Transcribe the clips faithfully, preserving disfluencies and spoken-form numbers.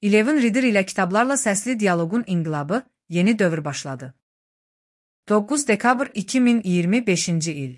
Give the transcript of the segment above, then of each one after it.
Eleven Reader ilə kitablarla səsli dialoqun inqilabı, yeni dövr başladı. doqquz dekabr iki min iyirmi beşinci il.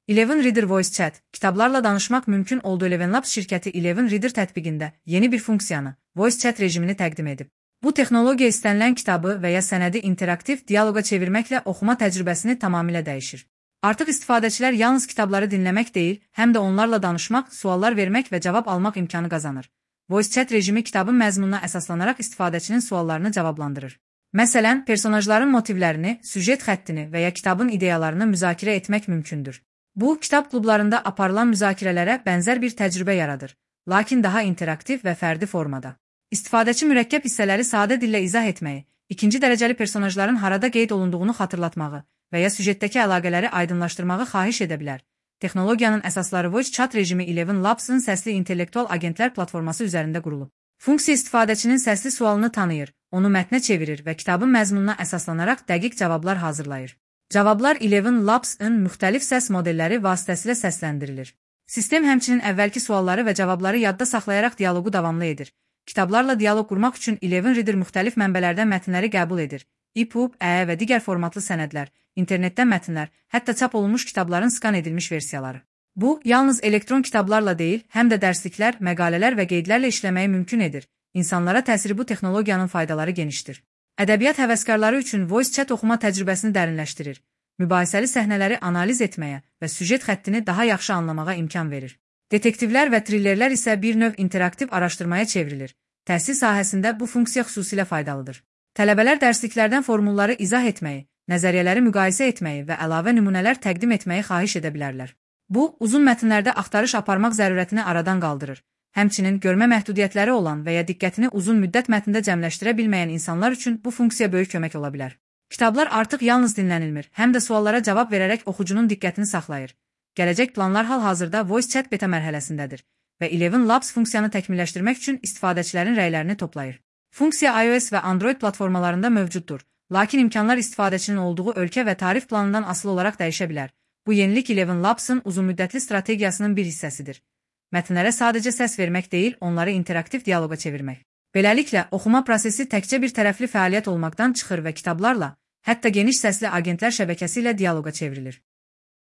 Eleven Reader Voice Chat, kitablarla danışmaq mümkün oldu. Eleven Labs şirkəti Eleven Reader tətbiqində yeni bir funksiyanı, Voice Chat rejimini təqdim edib. Bu texnologiya istənilən kitabı və ya sənədi interaktiv dialoqa çevirməklə oxuma təcrübəsini tamamilə dəyişir. Artıq istifadəçilər yalnız kitabları dinləmək deyil, həm də onlarla danışmaq, suallar vermək və cavab almaq imkanı qazanır. Voice Chat rejimi kitabın məzmununa əsaslanaraq istifadəçinin suallarını cavablandırır. Məsələn, personajların motivlərini, süjet xəttini və ya kitabın ideyalarını müzakirə etmək mümkündür. Bu, kitab klublarında aparılan müzakirələrə bənzər bir təcrübə yaradır, lakin daha interaktiv və fərdi formada. İstifadəçi mürəkkəb hissələri sadə dillə izah etməyi, ikinci dərəcəli personajların harada qeyd olunduğunu xatırlatmağı və ya süjetdəki əlaqələri aydınlaşdırmağı xahiş edə bilər. Texnologiyanın əsasları Voice Chat rejimi Eleven Labs-ın səsli intellektual agentlər platforması üzərində qurulub. Funksiya istifadəçinin səsli sualını tanıyır, onu mətnə çevirir və kitabın məzmununa əsaslanaraq dəqiq cavablar hazırlayır. Cavablar Eleven Labs-ın müxtəlif səs modelləri vasitəsilə səsləndirilir. Sistem həmçinin əvvəlki sualları və cavabları yadda saxlayaraq dialoqu davamlı edir. Kitablarla dialoq qurmaq üçün Eleven Reader müxtəlif mənbələrdən mətnləri qəbul edir. E P U B, ə və digər formatlı sənədlər, internetdən mətnlər, hətta çap olunmuş kitabların skan edilmiş versiyaları. Bu, yalnız elektron kitablarla deyil, həm də dərsliklər, məqalələr və qeydlərlə işləməyi mümkün edir. İnsanlara təsiri bu texnologiyanın faydaları genişdir. Ədəbiyyat həvəskarları üçün Voice Chat oxuma təcrübəsini dərinləşdirir. Mübahisəli səhnələri analiz etməyə və süjet xəttini daha yaxşı anlamağa imkan verir. Detektivlər və trillerlər isə bir növ interaktiv araşdırmaya çevrilir. Təhsil sahəsində bu funksiya xüsusilə faydalıdır. Tələbələr dərsliklərdən formulları izah etməyi, nəzəriyyələri müqayisə etməyi və əlavə nümunələr təqdim etməyi xahiş edə bilərlər. Bu, uzun mətnlərdə axtarış aparmaq zərurətini aradan qaldırır. Həmçinin görmə məhdudiyyətləri olan və ya diqqətini uzun müddət mətndə cəmləşdirə bilməyən insanlar üçün bu funksiya böyük kömək ola bilər. Kitablar artıq yalnız dinlənilmir, həm də suallara cavab verərək oxucunun diqqətini saxlayır. Gələcək planlar hal-hazırda Voice Chat beta mərhələsindədir və Eleven Labs funksiyanı təkmilləşdirmək üçün istifadəçilərin rəylərini toplayır. Funksiya iOS və Android platformalarında mövcuddur, lakin imkanlar istifadəçinin olduğu ölkə və tarif planından asılı olaraq dəyişə bilər. Bu yenilik Eleven Labs-ın uzunmüddətli strategiyasının bir hissəsidir. Mətnlərə sadəcə səs vermək deyil, onları interaktiv dialoqa çevirmək. Beləliklə, oxuma prosesi təkcə bir tərəfli fəaliyyət olmaqdan çıxır və kitablarla, hətta geniş səsli agentlər şəbəkəsi ilə dialoqa çevrilir.